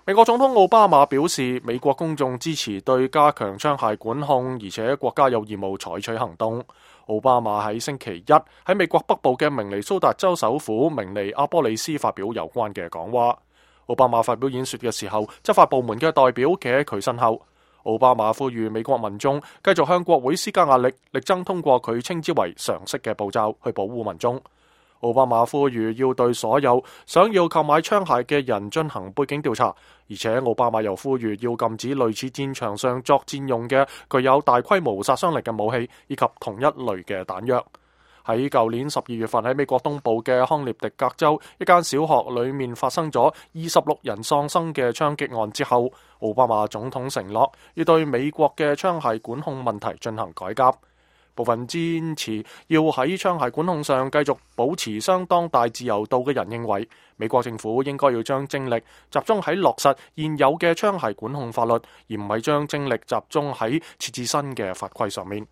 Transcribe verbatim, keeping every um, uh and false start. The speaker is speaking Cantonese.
美國總統奧巴馬表示，美國公眾支持對加強槍械管控，而且國家有義務採取行動。奧巴馬喺星期一喺美國北部嘅明尼蘇達州首府明尼阿波利斯發表有關嘅講話。奧巴馬發表演說嘅時候，執法部門嘅代表企喺佢身後。奧巴馬呼籲美國民眾繼續向國會施加壓力，力爭通過佢稱之為常識嘅步驟去保護民眾。奧巴馬呼籲要對所有想要購買槍械嘅人進行背景調查，而且奧巴馬又呼籲要禁止類似戰場上作戰用嘅具有大規模殺傷力嘅武器，以及同一類嘅彈藥。喺舊年十二月份喺美國東部嘅康涅狄格州一間小學裏面發生咗二十六人喪生嘅槍擊案之後，奧巴馬總統承諾要對美國嘅槍械管控問題進行改革。部分堅持要喺槍械管控上繼續保持相當大自由度嘅人認為，美國政府應該要將精力集中喺落實現有嘅槍械管控法律，而唔係將精力集中喺設置新嘅法規上面。